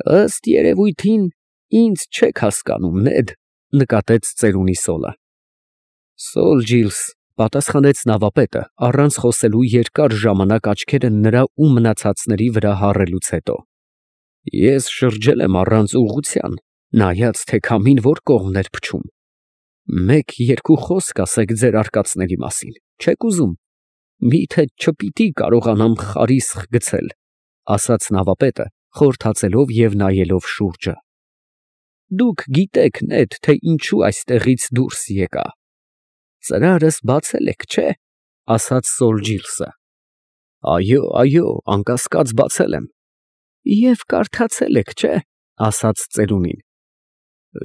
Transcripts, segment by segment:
Ըստ երևույթին ինձ չեք հասկանում, Նեդ, նկատեց ծերունի Սոլը։ Սոլ Ջիլս, պատասխանեց նավապետը, առանց խոսելու երկար ժամանակ աչքերը նրա ու մնացածների վրա հառելուց հետո։ Ես շրջել եմ առանց ուղղության, նայած թե քամին որ կողմն էր փչում։ Մեկ-երկու խոսք ասեք ձեր արկածների մասին, չեք ուզում։ Միթե չպիտի կարողանամ խարիսխ գցել, ասաց նավապետը, խորթացելով և նայելով շուրջը։ Դուք գիտեք, Նեդ, թե ինչու այստեղից դուրս եկա։ Ծրարս բացել եք, չէ՞, ասաց Սոլ Ջիլսը։ Այո, անկասկած բացել եմ։ Եվ կարդացել եք, չէ՞, ասաց ծերունին։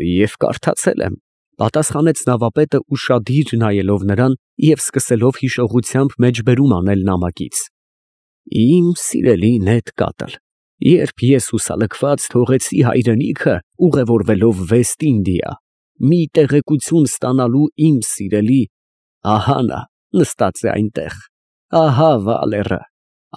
Եվ կարդացել եմ, պատասխանեց նավապետը ուշադիր նայելով նրան և սկսելով հիշողությամբ մեջբերում անել նամակից։ Իմ սիրելի Նեդ Կատլ, երբ ես հուսալքված թողեցի հայրենիքը, ուղևորվելով Վեստ Ինդիա, մի տեղեկություն ստանալու իմ սիրելի, ահա նա նստած է այնտեղ, ահա Վալերը,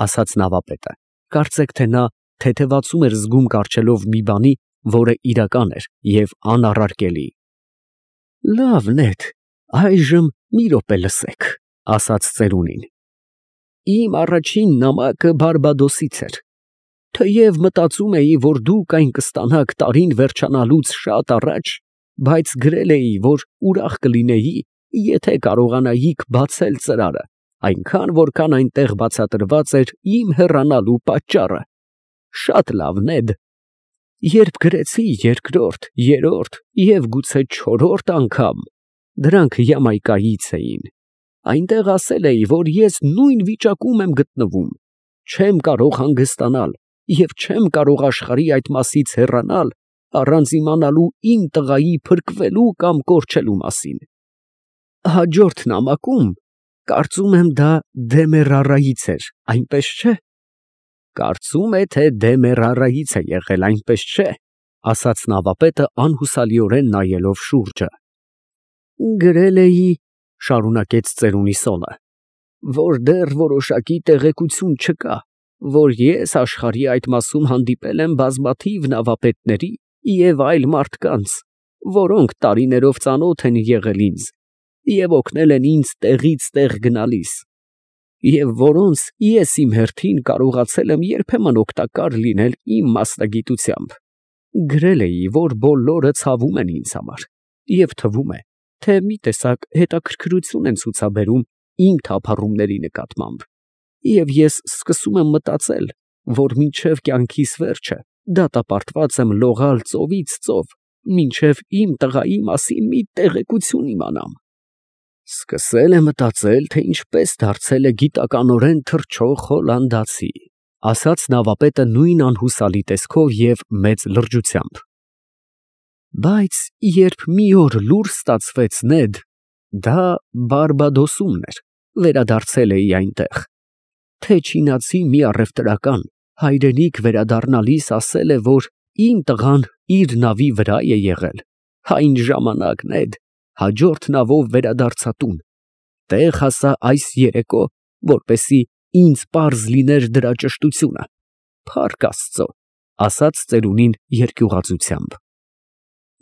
ասաց նավապետը, կարծեք թե նա թեթևացում էր զգում կառչելով մի բանի, որը իրական էր և անառարկելի։ Լավ, Նեդ, այժմ մի րոպե լսեք, ասաց ծերունին։ Իմ առաջին նամակը Բարբադոսից էր։ Թեև մտածում էի, որ դուք այն կստանաք տարին վերջանալուց շատ առաջ, բայց գրել էի, որ ուրախ կլինեի, եթե կարողանայիք բացել ծրարը, այնքան որքան այնտեղ բացատրված էր իմ հեռանալու պատճառը։ Շատ լավ, Նեդ։ Երբ գրեցի երկրորդ, երրորդ և գուցե չորրորդ անգամ, դրանք Յամայկայից էին, այնտեղ ասել էի, որ ես նույն վիճակում եմ գտնվում, չեմ կարող հանգստանալ և չեմ կարող աշխարհի այդ մասից հեռանալ, առանց իմանալու իմ տղայի փրկվելու կամ կորչելու մասին։ Հաջորդ նամակում, կարծում եմ դա Դեմերարայից էր, այնպես չէ։ Կարծում է, թե Դեմերարայից է եղել, այնպես չէ, ասաց նավապետը անհուսալիորեն նայելով շուրջը։ Գրել էի, շարունակեց ծերունի Սոլը, որ դեռ որոշակի տեղեկություն չկա, որ ես աշխարհի այդ մասում հանդիպել եմ բազմաթիվ նավապետների և այլ մարդկանց, որոնք տարիներով ծանոթ են եղել ինձ և օգնել են ինձ տեղից տեղ գնալիս, և որոնց ես իմ հերթին կարողացել եմ երբեմն օգտակար լինել իմ մասնագիտությամբ։ Գրել էի, որ բոլորը ցավում են ինձ համար, և թվում է, թե մի տեսակ հետաքրքրություն են ցուցաբերում իմ թափառումների նկատմամբ, և ես սկսում եմ մտածել, որ մինչև կյանքիս վերջը դատապարտված եմ լողալ ծովից ծով, մինչև իմ տղայի մասին մի տեղեկություն իմանամ։ Սկսել է մտածել, թե ինչպես դարձել է գիտականորեն թռչող հոլանդացի, ասաց նավապետը նույն անհուսալի տեսքով և մեծ լրջությամբ։ Բայց երբ մի օր լուր ստացվեց, Նեդ, դա Բարբադոսումն էր, վերադարձել էի այնտեղ, թե չինացի մի առևտրական հայրենիք վերադառնալիս ասել է, որ իմ տղան իր նավի վրա է եղել, այն ժամանակ, Նեդ, հաջորդ նավով վերադարձա տուն, տեղ հասա այս երեկո, որպեսզի ինձ պարզ լիներ դրա ճշտությունը, փառք Աստծո, ասաց ծերունին երկյուղածությամբ։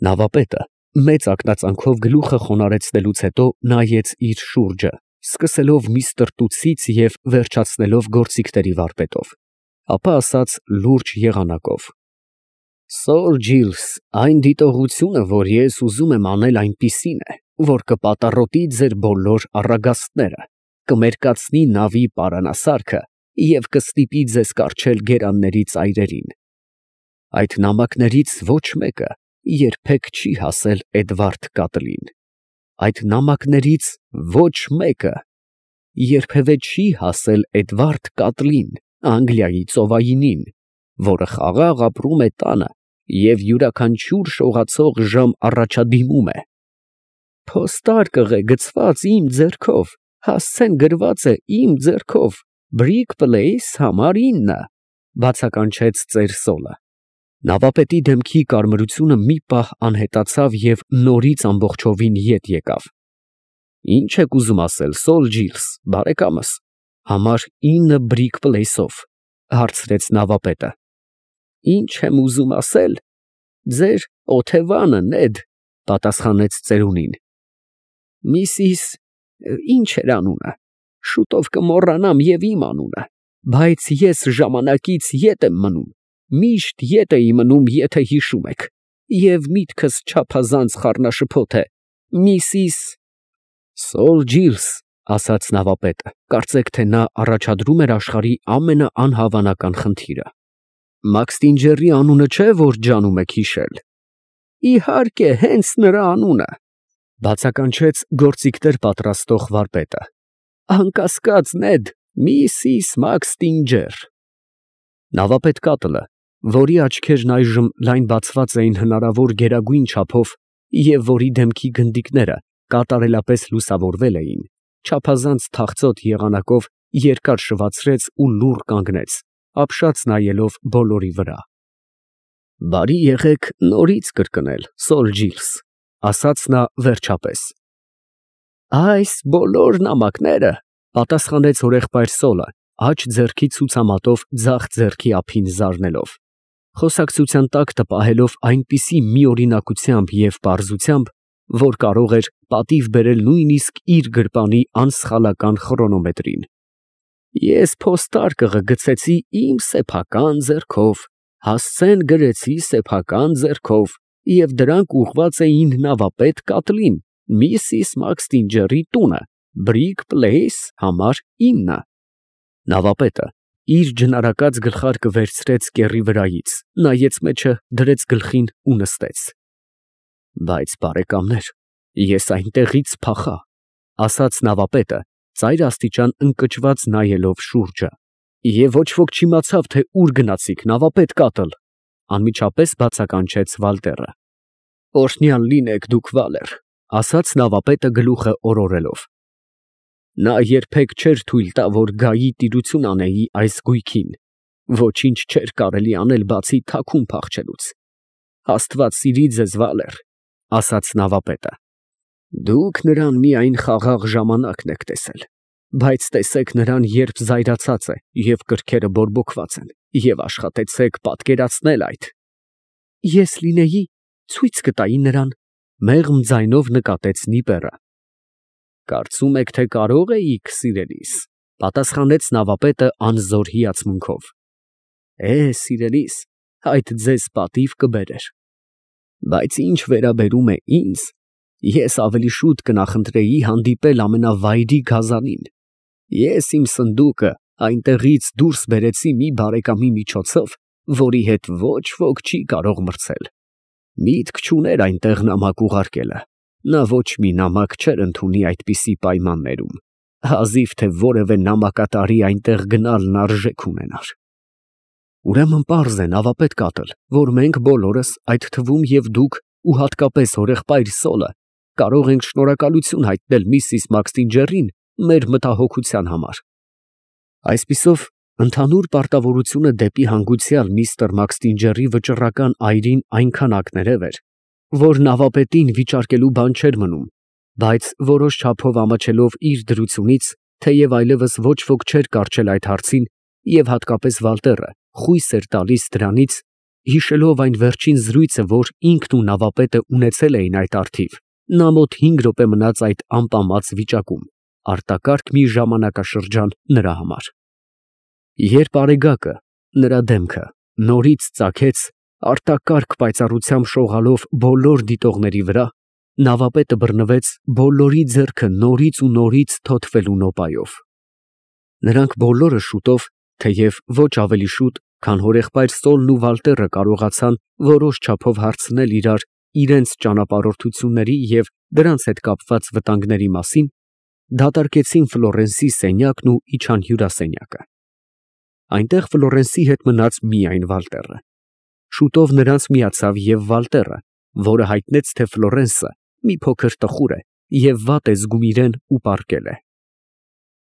Նավապետը մեծ ակնածանքով գլուխը խոնարհեցնելուց հետո նայեց իր շուրջը, սկսելով մի ստրտուցից և վերջացնելով գործիքների վարպետով, ապա ասաց լուրջ եղանակով. Սոր Ջիլս, այն դիտողությունը, որ ես ուզում եմ անել, այնպիսին է, որ կպատառոտի ձեր բոլոր առագաստները, կմերկացնի նավի պարանասարքը և կստիպի ձեզ կառչել գերանների ծայրերին։ Այդ նամակներից ոչ մեկը երբեք չի հասել Էդվարդ Կատլին։ Այդ նամակներից ոչ մեկը երբևէ չի հասել Էդվարդ Կատլին, Անգլիայի ծովայինին, որը խաղաղ ապրում է տանը և յուրաքանչյուր շողացող ժամ առաջադիմում է։ Փոստարկղ է գցված իմ ձեռքով, հասցեն գրված է իմ ձեռքով, Բրիկ Պլեյս, համար 9, բացականչեց ծեր Սոլը։ Նավապետի դեմքի կարմրությունը մի պահ անհետացավ և նորից ամբողջովին ետ եկավ։ Ինչ եք ուզում ասել, Սոլ Ջիլս, բարեկամս, համար 9 Բրիկ Պլեյսով, հարցրեց նավապետը։ Ինչ եմ ուզում ասել, ձեր օթևանը, Նեդ, պատասխանեց ծերունին։ Միսիս, ինչ էր անունը, շուտով կմոռանամ և իմ անունը, բայց ես ժամանակից ետ եմ մնում, միշտ ետ էի մնում, եթե հիշում եք, և միտքս չափազանց խառնաշփոթ է, Միսիս… Սոլ Ջիլս, ասաց նավապետը, կարծեք, թե նա առաջադրում էր աշխարհի ամենաանհավանական խնդիրը։ Մաքստինջերի անունը չէ, որ ջանում եք հիշել։ Իհարկե, հենց նրա անունը, բացականչեց գործիքներ պատրաստող վարպետը։ Անկասկած, Նեդ, Միսիս Մաքստինջեր։ Նավապետ Կատլը, որի աչքերն այժմ լայն բացված էին հնարավոր գերագույն չափով և որի դեմքի գնդիկները կատարելապես լուսավորվել էին, չափազանց թախծոտ եղանակով երկար շվացրեց ու լուռ կանգնեց, ապշած նայելով բոլորի վրա։ Բարի եղեք նորից կրկնել, Սոլ Ջիլս, ասաց նա վերջապես։ Այս բոլոր նամակները, պատասխանեց հորեղբայր Սոլը, աջ ձեռքի ցուցամատով ձախ ձեռքի ափին զարնելով, խոսակցության տակ տպահելով այնպիսի միօրինակությամբ և պարզությամբ, որ կարող էր պատիվ բերել նույնիսկ իր գրպանի անսխալական խրոնոմետրին։ Ես փոստարկղը գցեցի իմ սեփական ձեռքով, հասցեն գրեցի սեփական ձեռքով, և դրանք ուղղված էին նավապետ Կատլին, Միսիս Մաքստինջերի տունը, Բրիգ Պլեյս, համար 9։ Նավապետը իր ջնարակած գլխարկը վերցրեց կեռի վրայից, նայեց մեջը, դրեց գլխին ու նստեց։ Բայց, բարեկամներ, ես այնտեղից փախա, ասաց նավապետը, ծայր աստիճան ընկճված նայելով շուրջը։ Եվ ոչ ոք չիմացավ, թե ուր գնացիք, նավապետ Կատլ, անմիջապես բացականչեց Վալտերը։ Օրհնյալ լինեք դուք, Վալեր, ասաց նավապետը գլուխը օրորելով։ Նա երբեք չէր թույլ տա, որ գայի տիրություն անեի այս գույքին, ոչինչ չէր կարելի անել, բացի թաքուն փախչելուց։ Աստված սիրի ձեզ, Վալեր, ասաց նավապետը։ Դուք նրան միայն խաղաղ ժամանակն եք տեսել, բայց տեսեք նրան, երբ զայրացած է և կրքերը բորբոքված են, և աշխատեցեք պատկերացնել այդ։ Ես լինեի, ցույց կտայի նրան, մեղմ ձայնով նկատեց Նիպերը։ Կարծում եք, թե կարող էիք, սիրելիս, պատասխանեց նավապետը անզոր հիացմունքով։ Սիրելիս, այդ ձեզ պատիվ կբերեր։ Բայց ինչ վերաբերում է ինձ, ես ավելի շուտ կնախընտրեի հանդիպել ամենավայրի գազանին։ Ես իմ սնդուկը այնտեղից դուրս բերեցի մի բարեկամի միջոցով, որի հետ ոչ ոք չի կարող մրցել։ Միտք չուներ այնտեղ նամակ ուղարկելը, նա ոչ մի նամակ չէր ընդունի այդպիսի պայմաններում, հազիվ թե որևէ նամակատարի այնտեղ գնալն արժեք ունենար։ Ուրեմն պարզ է, նավապետ Կատլ, որ մենք բոլորս, այդ թվում և դուք ու հատկապես հորեղբայր Սոլը, կարող ենք շնորհակալություն հայտնել Միսիս Մաքստինջերին մեր մտահոգության համար։ Այսպիսով, ընդհանուր պարտավորությունը դեպի հանգուցյալ միստր Մաքստինջերի վճռական այրին այնքան ակներև էր, որ նավապետին վիճարկելու բան չէր մնում, բայց որոշ չափով ամաչելով իր դրությունից, թեև այլևս ոչ ոք չէր կառչել այդ հարցին, և հատկապես Վալտերը խույս էր տալիս դրանից, հիշելով այն վերջին զրույցը, որ ինքն ու նավապետը ունեցել էին այդ առթիվ, նա մոտ 5 րոպե մնաց այդ ամպամած վիճակում, արտակարգ մի ժամանակաշրջան նրա համար։ Երբ Արեգակը, նրա դեմքը, նորից ծագեց, արտակարգ պայծառությամբ շողալով բոլոր դիտողների վրա, նավապետը բռնվեց բոլորի ձեռքը նորից ու նորից թոթվելու նոպայով։ Նրանք բոլորը շուտով, թեև ոչ ավելի շուտ, քան հորեղբայր Սոլն ու Վալտերը կարողացան որոշ չափով հարցնել իրար իրենց ճանապարհորդությունների և դրանց հետ կապված վտանգների մասին, դատարկեցին Ֆլորենսի սենյակն ու իջան հյուրասենյակը։ Այնտեղ Ֆլորենսի հետ մնաց միայն Վալտերը։ Շուտով նրանց միացավ և Վալտերը, որը հայտնեց, թե Ֆլորենսը մի փոքր տխուր է և վատ է զգում իրեն ու պառկել է։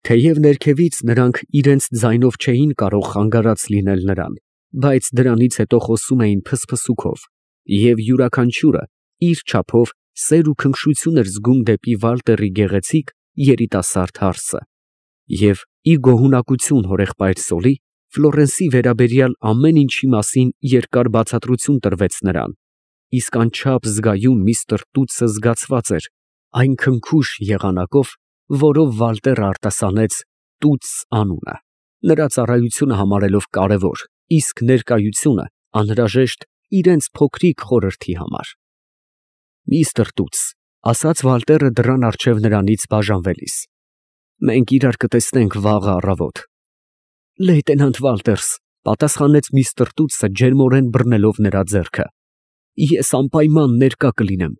Թեև ներքևից նրանք իրենց ձայնով չէին կարող խանգարած լինել նրան, բայց դրանից հետո խոսում էին փսփսուքով, և յուրաքանչյուրը իր չափով սեր ու քնքշություն էր զգում դեպի Վալտերի գեղեցիկ երիտասարդ հարսը, և ի գոհունակություն հորեղբայր Սոլի, Ֆլորենսի վերաբերյալ ամեն ինչի մասին երկար բացատրություն տրվեց նրան, իսկ անչափ զգայուն միստր Տուտսը զգացված էր այն քնքուշ եղանակով, որով Վալտերը արտասանեց Տուտս անունը, նրա ծառայությունը համարելով կարևոր, իսկ ներկայությունը անհրաժեշտ իրենց փոքրիկ խորհրդի համար։ Միստր Տուտս, ասաց Վալտերը դռան առջև նրանից բաժանվելիս, մենք իրար կտեսնենք վաղը առավոտ։ Լեյտենանտ Վալտերս, պատասխանեց միստր Տուտսը ջերմորեն բռնելով նրա ձեռքը, ես անպայման ներկա կլինեմ։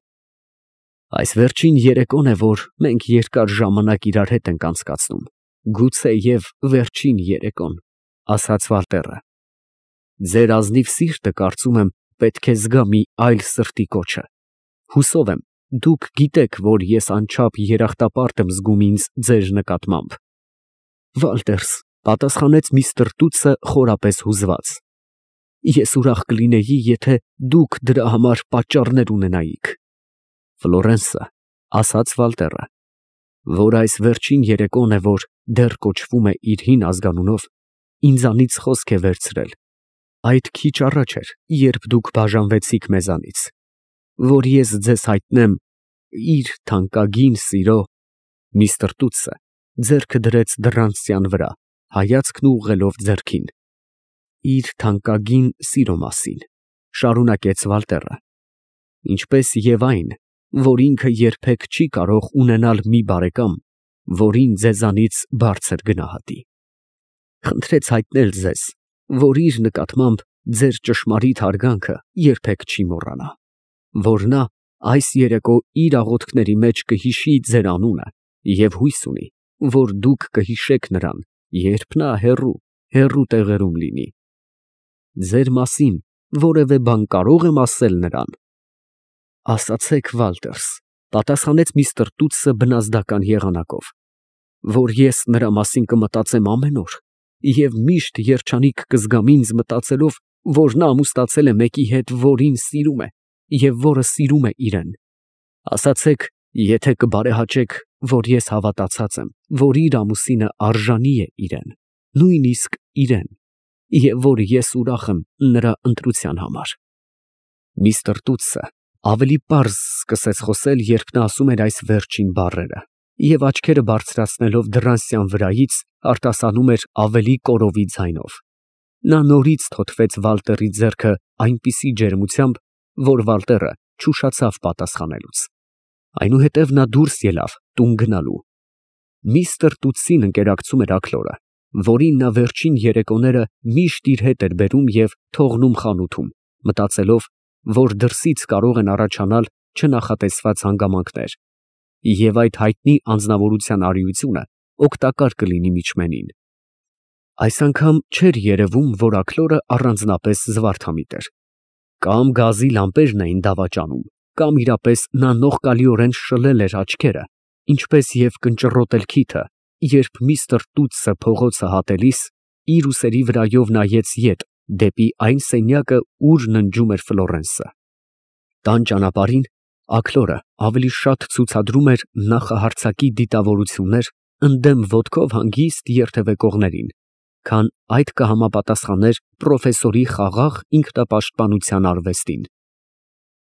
Այս վերջին երեկոն է, որ մենք երկար ժամանակ իրար հետ ենք անցկացնում, գուցե և վերջին երեկոն, ասաց Վալտերը։ Ձեր ազնիվ սիրտը, կարծում եմ, պետք է զգա մի այլ սրտի կոչը։ Հուսով եմ, դուք գիտեք, որ ես անչափ երախտապարտ եմ զգում ինձ ձեր նկատմամբ։ Վալտերս, պատասխանեց միստր Տուտսը խորապես հուզված, ես ուրախ կլինեի, եթե դուք դրա համար պատճառներ ունենայիք։ Ֆլորենսը, ասաց Վալտերը, որ այս վերջին երեկոն է, որ դեռ կոչվում է իր հին ազգանունով, ինձանից խոսք է վերցրել, այդ քիչ առաջ էր, երբ դուք բաժանվեցիք մեզանից, որ ես ձեզ հայտնեմ իր թանկագին սիրո։ Միստր Տուտսը ձեռքը դրեց դռան վրա, հայացքն ուղղելով ձեռքին։ Իր թանկագին սիրո մասին, շարունակեց Վալտերը, ինչպես և այն, որ ինքը երբեք չի կարող ունենալ մի բարեկամ, որին ձեզանից բարձր գնահատի։ Խնդրեց հայտնել ձեզ, որ իր նկատմամբ ձեր ճշմարիտ հարգանքը երբեք չի մոռանա, որ նա այս երեկո իր աղոթքների մեջ կհիշի ձեր անունը և հույս ունի, որ դուք կհիշեք նրան, երբ նա հեռու տեղերում լինի։ Ձեր մասին որևէ բան կարո՞ղ եմ ասել նրան։ Ասացեք, Վալտերս, պատասխանեց միստր Տուտսը բնազդական եղանակով, որ ես նրա մասին կմտածեմ ամեն օր և միշտ երջանիկ կզգամ ինձ մտածելով, որ նա ամուսնացել է մեկի հետ, որին սիրում է և որը սիրում է իրեն։ Ասացեք, եթե կբարեհաճեք, որ ես հավատացած եմ, որ իր ամուսինը արժանի է իրեն, նույնիսկ իրեն, և որ ես ուրախ եմ նրա ընտրության համար։ Միստր Տուտսը ավելի պարզ սկսեց խոսել, երբ նա ասում էր այս վերջին բառերը, և աչքերը բարձրացնելով դռան վրայից արտասանում էր ավելի կորովի ձայնով։ Նա նորից թոթվեց Վալտերի ձեռքը այնպիսի ջերմությամբ, որ Վալտերը չուշացավ պատասխանելուց։ Այնուհետև նա դուրս ելավ տուն գնալու։ Միստր Տուտսին ընկերակցում էր աքլորը, որին նա վերջին երեկոները միշտ իր հետ էր բերում և թողնում խանութում, մտածելով, որ դրսից կարող են առաջանալ չնախատեսված հանգամանքներ, և այդ հայտնի անձնավորության արիությունը օգտակար կլինի միջմենին։ Այս անգամ չէր երևում, որ աքլորը առանձնապես զվարթամիտ էր։ Կամ գազի լամպերն էին դավաճանում, կամ իրապես նա նողկալիորեն շլել էր աչքերը, ինչպես և կնճռոտել քիթը, երբ միստր Տուտսը փողոցը հատելիս իր ուսերի վրայով նայեց ետ դեպի այն սենյակը, ուր ննջում էր Ֆլորենսը։ Տան ճանապարհին աքլորը ավելի շատ ցուցադրում էր նախահարձակի դիտավորություններ ընդդեմ ոտքով հանգիստ երթևեկողներին, քան այդ կհամապատասխաներ պրոֆեսորի խաղաղ ինքնապաշտպանության արվեստին։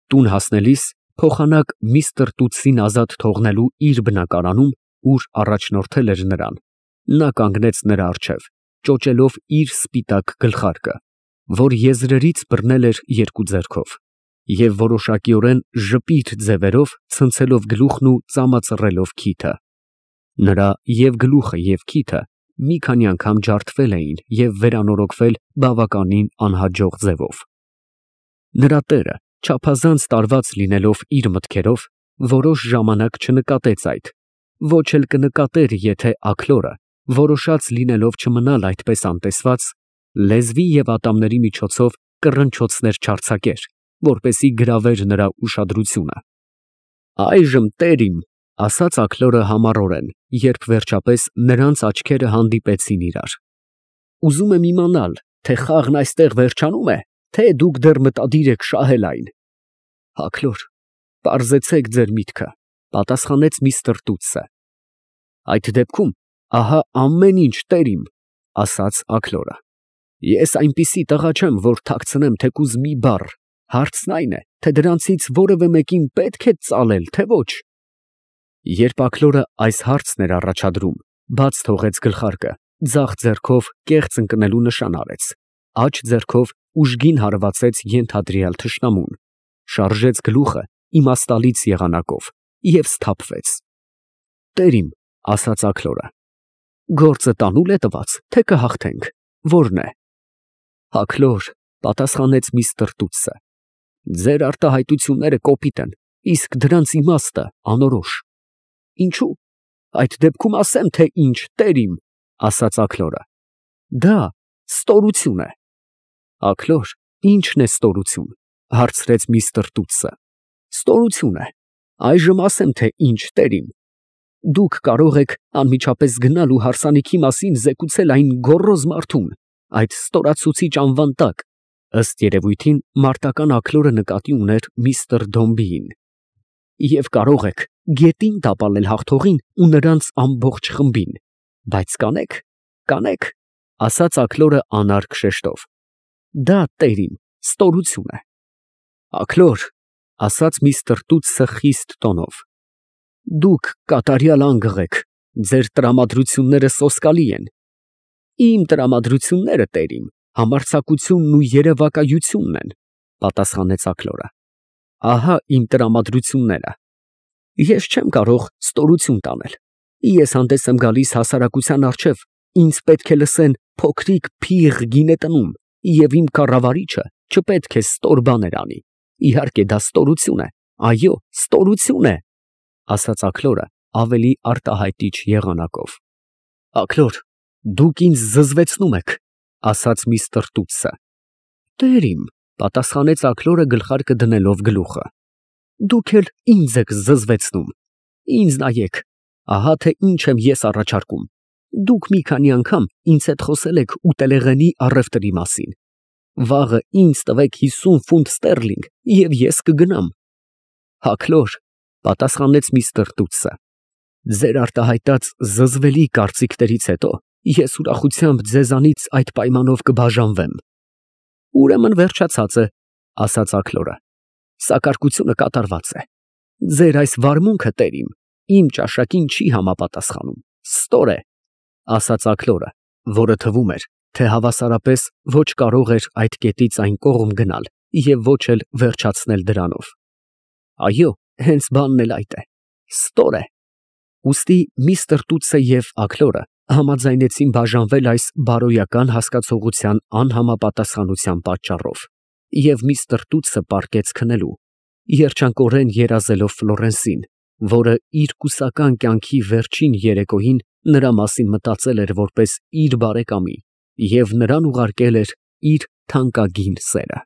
Տուն հասնելիս փոխանակ միստր Տուտսին ազատ թողնելու իր բնակարանում, ուր առաջնորդել էր նրան, նա կանգնեց նրա առջև, ճոճելով իր սպիտակ գլխարկը, որ եզրերից բռնել էր երկու ձեռքով, և որոշակիորեն ժպիտ ձևերով ցնցելով գլուխն ու ծամածռելով քիթը։ Նրա և գլուխը և քիթը մի քանի անգամ ջարդվել էին և վերանորոգվել բավականին անհաջող ձևով։ Նրա տերը, չափազանց տարված լինելով իր մտքերով, որոշ ժամանակ չնկատեց այդ, ոչ էլ կնկատեր, եթե աքլորը, որոշած լինելով չմնալ այդպես անտեսված, լեզվի և ատամների միջոցով կռնչոցներ չարձակեր, որպեսզի գրավեր նրա ուշադրությունը։ Այժմ, տեր իմ, ասաց աքլորը համառորեն, երբ վերջապես նրանց աչքերը հանդիպեցին իրար, ուզում եմ իմանալ, թե խաղն այստեղ վերջանո՞ւմ է, թե դուք դեռ մտադիր եք շահել այն։ Աքլոր, պարզեցեք ձեր միտքը, պատասխանեց միստր Տուտսը։ Այդ դեպքում ահա ամեն ինչ, տեր իմ, ասաց աքլորը։ Ես այնպիսի տղա չեմ, որ թաքցնեմ թեկուզ մի բառ, հարցն այն է, թե դրանցից որևէ մեկին պետք է ծալել, թե ոչ։ Երբ Աքլորը այս հարցն էր առաջադրում, բաց թողեց գլխարկը, ձախ ձեռքով կեղծ ընկնելու նշան արեց, աջ ձեռքով ուժգին հարվածեց ենթադրյալ թշնամուն, շարժեց գլուխը իմաստալից եղանակով և սթափվեց։ «Տեր իմ», ասաց Աքլորը, «գործը տանուլ է տված, թե կհաղթենք, որն է»։ «Աքլոր», պատասխանեց միստր Տուտսը, «ձեր արտահայտությունները կոպիտ են, իսկ դրանց իմաստը անորոշ»։ «Ինչո՞ւ, այդ դեպքում ասեմ, թե ինչ, տեր իմ», ասաց Աքլորը։ «Դա ստորություն է»։ «Աքլոր, ի՞նչն է ստորություն», հարցրեց միստր Տուտսը։ «Ստորություն է, այժմ ասեմ, թե ինչ, տեր իմ։ Դուք կարող եք անմիջապես գնալ ու հարսանիքի մասին զեկուցել այն գոռոզ մարդուն, այդ ստորացուցիչ անվան տակ», ըստ երևույթին մարտական Աքլորը նկատի ուներ միստր Դոմբիին, «և կարող եք գետին տապալել հաղթողին ու նրանց ամբողջ խմբին, բայց կանեք, ասաց Աքլորը անարգ շեշտով, դա, տեր իմ, ստորություն է»։ «Աքլոր», ասաց միստր Տուտսը խիստ տոնով, «դուք կատարյալ անգղ եք, ձեր տրամադրությունները սոսկալի են»։ «Իմ տրամադրությունները, տեր իմ, համարձակությունն ու երևակայությունն են», պատասխանեց Աքլորը։ «Ահա իմ տրամադրությունները. ես չեմ կարող ստորություն տանել, ես հանդես եմ գալիս հասարակության առջև, ինձ պետք է լսեն փոքրիկ փիղ գինետնում, և իմ կառավարիչը չպետք է ստոր բաներ անի։ Իհարկե դա ստորություն է, այո, ստորություն է», ասաց Աքլորը ավելի արտահայտիչ եղանակով։ «Աքլոր, դուք ինձ զզվեցնում եք», ասաց միստր Տուտսը։ «Տեր իմ», պատասխանեց Աքլորը գլխարկը դնելով գլուխը, «դուք էլ ինձ եք զզվեցնում։ Ինձ նայեք, ահա թե ինչ եմ ես առաջարկում։ Դուք մի քանի անգամ ինձ հետ խոսել եք ուտելեղենի առևտրի մասին։ Վաղը ինձ տվեք 50 ֆունտ ստերլինգ, և ես կգնամ»։ «Աքլոր», պատասխանեց միստր Տուտսը, «ձեր արտահայտած զզվելի կարծիքներից հետո ես ուրախությամբ ձեզանից այդ պայմանով կբաժանվեմ»։ «Ուրեմն վերջացած է», ասաց Աքլորը, «սակարկությունը կատարված է։ Ձեր այս վարմունքը, տեր իմ ճաշակին չի համապատասխանում, ստոր է», ասաց Աքլորը, որը թվում էր, թե հավասարապես ոչ կարող էր այդ կետից այն կողմ գնալ և ոչ էլ վերջացնել դրանով։ «Այո, հենց բանն էլ այդ է, ստոր է»։ Ուստի միստր Տուտսը և Աքլորը համաձայնեցին բաժանվել այս բարոյական հասկացողության անհամապատասխանության պատճառով, և միստր Տուտսը պառկեց քնելու, երջանկորեն երազելով Ֆլորենսին, որը իր կուսական կյանքի վերջին երեկոյին նրա մասին մտածել էր որպես իր բարեկամի և նրան ուղարկել էր իր թանկագին սերը։